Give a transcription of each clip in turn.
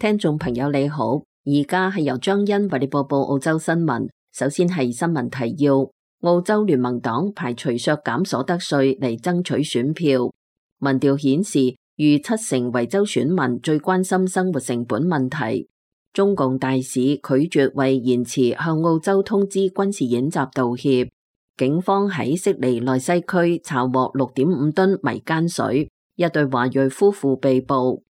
聽眾朋友你好，而家係由張欣為你播報澳洲新聞。首先係新聞提要：澳洲聯盟黨排除削減所得稅嚟爭取選票。民調顯示，逾70%維州選民最關心生活成本問題。中共大使拒絕為延遲向澳洲通知軍事演習道歉。警方喺悉尼內西區查獲6.5噸迷姦水，一對華裔夫婦被捕。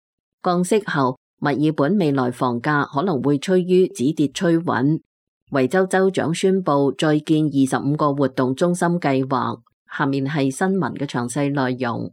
降息後，墨爾本未來房價可能會趨於止跌趨穩。維州州長宣布再建25個活動中心計劃。下面係新聞嘅詳細內容。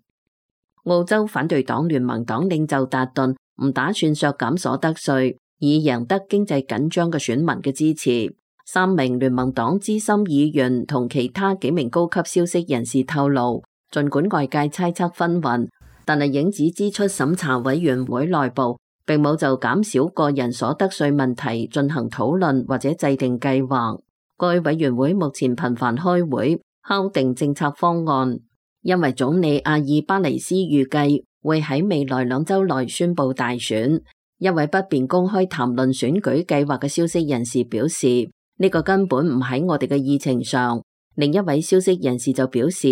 澳洲反對黨聯盟黨領袖達頓唔打算削減所得稅，以贏得經濟緊張嘅選民嘅支持。3名聯盟黨資深議員同其他幾名高級消息人士透露，儘管外界猜測紛紜，但係影子支出審查委員會內部並冇就減少個人所得稅問題進行討論或者制定計劃。該委員會目前頻繁開會敲定政策方案，因為總理阿爾巴尼斯預計會喺未來2週內宣布大選。一位不便公開談論選舉計劃嘅消息人士表示，呢個根本唔喺我哋嘅議程上。另一位消息人士就表示，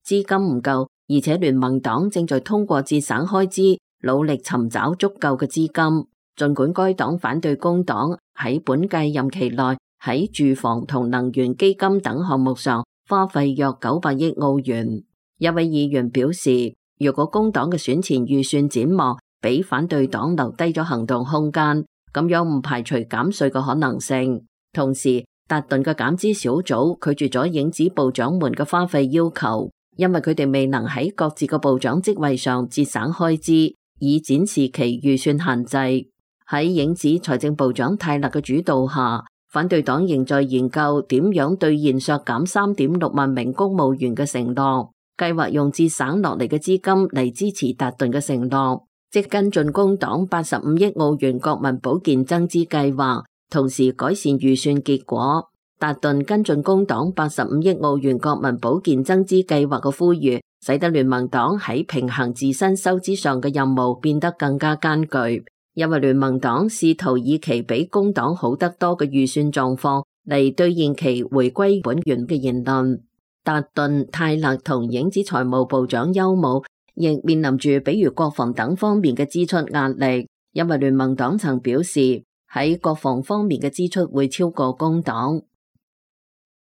資金唔夠，而且聯盟黨正在通過節省開支努力尋找足夠嘅資金。儘管該黨反對工黨喺本屆任期內喺住房同能源基金等項目上花費約900億澳元。一位議員表示，如果工黨嘅選前預算展望俾反對黨留低咗行動空間，咁樣唔排除減稅嘅可能性。同時，達頓嘅減資小組拒絕咗影子部長們嘅花費要求，因為佢哋未能喺各自嘅部長職位上節省開支，以展示其預算限制。喺影子財政部長泰勒嘅主導下，反對黨仍在研究點樣兌現削減3.6萬名公務員嘅承諾，計劃用節省落嚟嘅資金嚟支持達頓嘅承諾，即跟進工黨85億澳元國民保健增資計劃，同時改善預算結果。達頓跟進工黨85億澳元國民保健增資計劃嘅呼籲，使得聯盟黨喺平衡自身收支上嘅任務變得更加艱巨，因為聯盟黨試圖以其比工黨好得多嘅預算狀況嚟兌現其回歸本源嘅言論。達頓、泰勒同影子財務部長休姆亦面臨住比如國防等方面嘅支出壓力，因為聯盟黨曾表示喺國防方面嘅支出會超過工黨。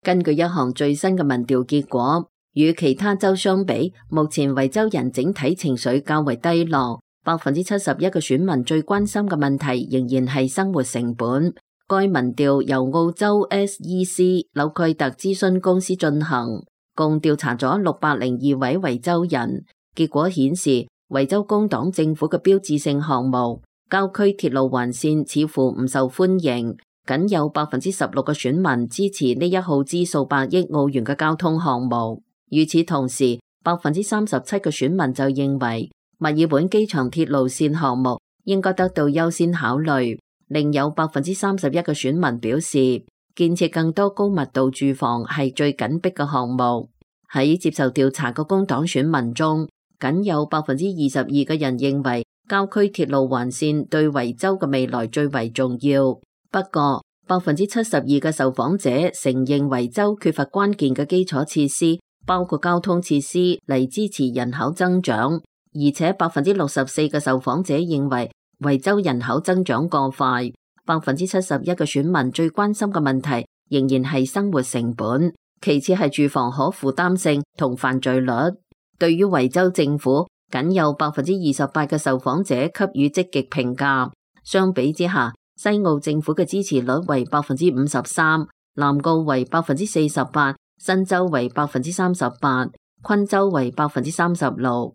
根據一項最新嘅民調結果，與其他州相比，目前維州人整體情緒較為低落。71%嘅選民最關心嘅問題仍然係生活成本。該民調由澳洲 SEC 紐蓋特諮詢公司進行，共調查咗602位維州人。結果顯示，維州工黨政府嘅標誌性項目郊區鐵路環線似乎唔受歡迎，僅有16%嘅選民支持呢一耗資數百億澳元嘅交通項目。與此同時，37%嘅選民就認為墨爾本機場鐵路線項目應該得到優先考慮。另有31%嘅選民表示，建設更多高密度住房係最緊迫嘅項目。喺接受調查嘅工黨選民中，僅有22%嘅人認為郊區鐵路環線對維州嘅未來最為重要。不過，72%嘅受訪者承認維州缺乏關鍵嘅基礎設施，包括交通設施嚟支持人口增長。而且64%嘅受訪者認為維州人口增長過快。71%嘅選民最關心嘅問題仍然係生活成本，其次係住房可負擔性同犯罪率。對於維州政府，僅有28%嘅受訪者給予積極評價。相比之下，西澳政府嘅支持率為53%，南澳為48%，新州為38%，昆州為36%。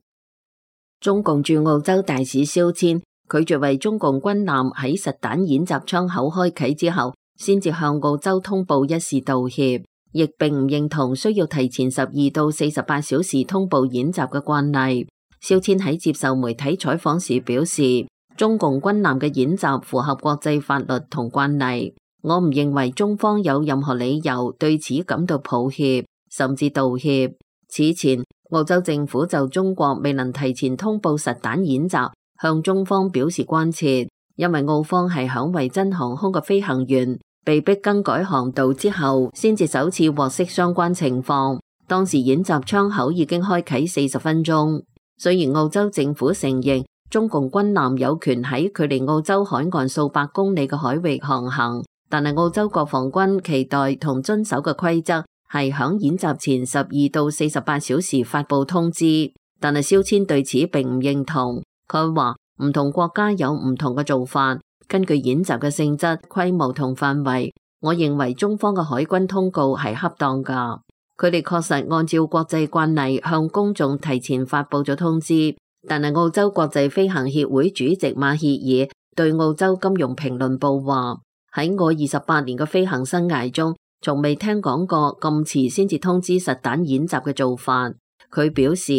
中共駐澳洲大使肖千拒絕為中共軍艦喺實彈演習窗口開啟之後，先至向澳洲通報一事道歉，亦並唔認同需要提前12到48小時通報演習嘅慣例。肖千喺接受媒體採訪時表示，中共軍艦嘅演習符合國際法律同慣例，我唔認為中方有任何理由對此感到抱歉，甚至道歉。此前，澳洲政府就中國未能提前通報實彈演習向中方表示關切。因為澳方係響維珍航空嘅飛行員被迫更改航道之後，先至首次獲悉相關情況。當時演習窗口已經開啟40分鐘。雖然澳洲政府承認中共軍艦有權喺距離澳洲海岸數百公里嘅海域航行，但係澳洲國防軍期待同遵守嘅規則係響演習前12到48小時發布通知。但係肖千對此並唔認同，佢話唔同國家有唔同嘅做法，根據演習嘅性質、規模同範圍，我認為中方嘅海軍通告係恰當㗎。佢哋確實按照國際慣例向公眾提前發布咗通知，但係澳洲國際飛行協會主席馬歇爾對澳洲金融評論報話：喺我28年嘅飛行生涯中，從未聽講過咁遲先至通知實彈演習嘅做法。佢表示，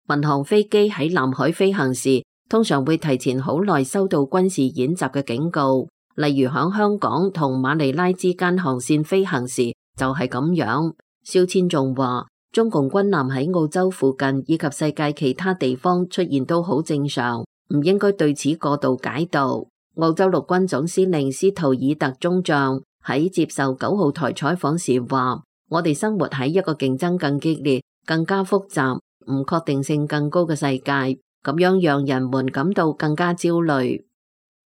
民航飛機喺南海飛行時，通常會提前好耐收到軍事演習嘅警告，例如響香港同馬尼拉之間航線飛行時就係咁樣。肖千仲話，中共軍艦喺澳洲附近以及世界其他地方出現都好正常，唔應該對此過度解讀。澳洲陸軍總司令斯圖爾特中將喺接受9號台採訪時話：我哋生活喺一個競爭更激烈、更加複雜、唔確定性更高嘅世界，咁樣讓人們感到更加焦慮。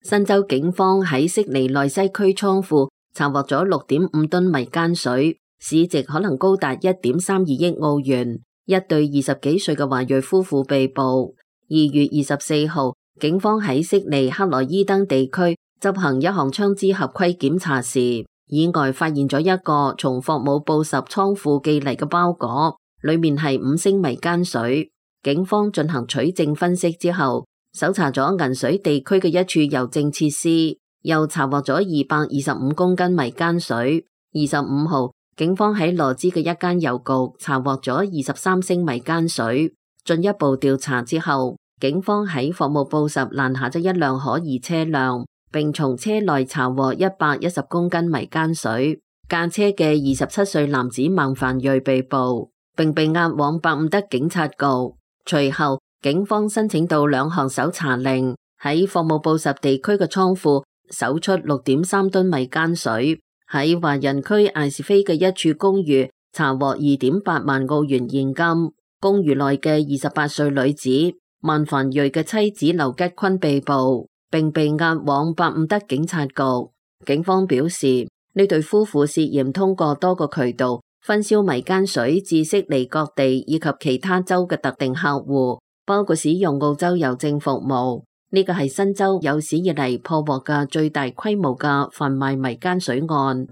新州警方喺悉尼內西區倉庫查獲咗6.5噸迷姦水，市值可能高達1.32億澳元。一對20幾歲嘅華裔夫婦被捕。2月24號，警方喺悉尼克萊伊登地區執行一項槍支合規檢查時，意外發現咗一個從霍姆布什倉庫寄嚟嘅包裹，裏面係5升迷姦水。警方進行取證分析之後，搜查咗銀水地區嘅一處郵政設施，又查獲咗225公斤迷姦水。25號，警方喺羅茲嘅一間郵局查獲咗23升迷姦水。進一步調查之後，警方喺霍姆布什攔下咗一輛可疑車輛，並從車內查獲110公斤迷姦水。駕車嘅27歲男子孟凡瑞被捕，並被押往伯伍德警察局。隨後，警方申請到2項搜查令，喺霍姆布什地區嘅倉庫搜出6.3噸迷姦水。喺華人區艾士菲嘅一處公寓查獲2.8萬澳元現金。公寓內嘅28歲女子孟凡瑞嘅妻子劉吉坤被捕，並被押往伯伍德警察局。警方表示，呢對夫婦涉嫌通過多個渠道分銷迷姦水至悉尼各地以及其他州嘅特定客戶，包括使用澳洲郵政服務。呢個係新州有史以嚟破獲嘅最大規模嘅販賣迷姦水案。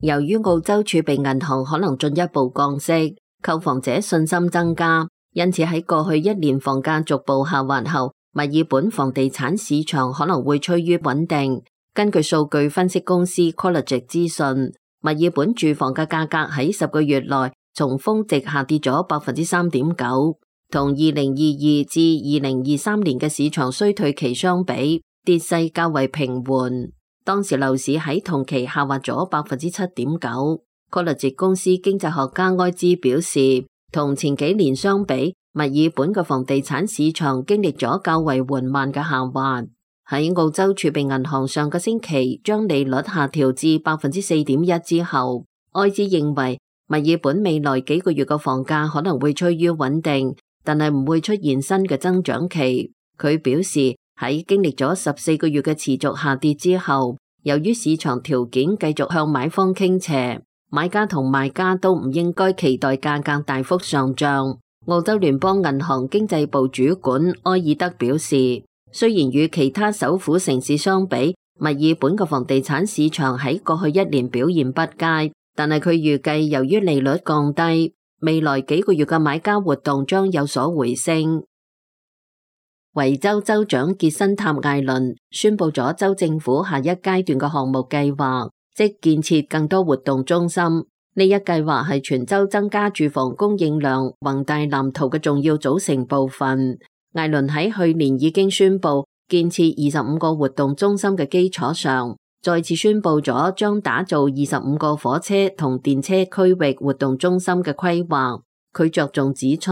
由於澳洲儲備銀行可能進一步降息，購房者信心增加，因此喺過去1年房價逐步下滑後，墨爾本房地產市場可能會趨於穩定。根據數據分析公司 Collegiate 資訊，墨爾本住房嘅價格喺10個月內從峰值下跌咗 3.9%， 同2022至2023年嘅市場衰退期相比，跌勢較為平緩。當時樓市喺同期下滑咗 7.9%。Collegiate 公司經濟學家埃茲表示，同前幾年相比，墨爾本嘅房地產市場經歷咗較為緩慢嘅下滑。喺澳洲儲備銀行上個星期將利率下調至 4.1% 之後，埃茲認為墨爾本未來幾個月嘅房價可能會趨於穩定，但係唔會出現新嘅增長期。佢表示，喺經歷咗14個月嘅持續下跌之後，由於市場條件繼續向買方傾斜，買家同賣家都唔應該期待價格大幅上漲。澳洲聯邦銀行經濟部主管埃爾德表示，雖然與其他首府城市相比，墨爾本嘅房地產市場喺過去1年表現不佳，但係佢預計由於利率降低，未來幾個月嘅買家活動將有所回升。維州州長傑森塔艾倫宣布咗州政府下一階段嘅項目計劃，即建設更多活動中心。呢一計劃係全州增加住房供應量宏大藍圖嘅重要組成部分。艾倫喺去年已經宣布建設25個活動中心嘅基礎上，再次宣布咗將打造25個火車同電車區域活動中心嘅規劃。佢着重指出，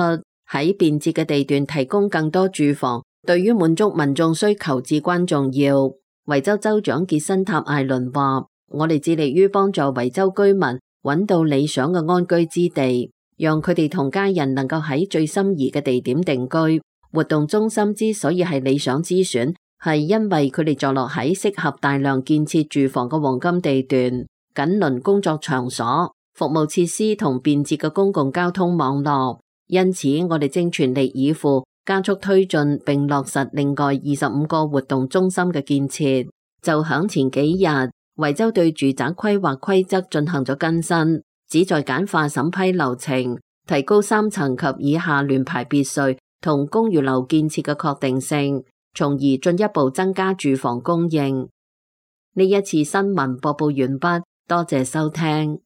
喺便捷嘅地段提供更多住房，對於滿足民眾需求至關重要。維州州長傑辛塔艾倫話：我哋致力於幫助維州居民揾到理想嘅安居之地，讓佢哋同家人能夠喺最心儀嘅地點定居。活動中心之所以係理想之選，係因為佢哋坐落喺適合大量建設住房嘅黃金地段，緊鄰工作場所、服務設施同便捷嘅公共交通網絡。因此，我哋正全力以赴加速推進並落實另外25個活動中心嘅建設。就響前幾日，維州對住宅規劃規則進行咗更新，旨在簡化審批流程，提高3層及以下聯排別墅同公寓樓建設嘅確定性，從而進一步增加住房供應。呢一次新聞播報完畢，多謝收聽。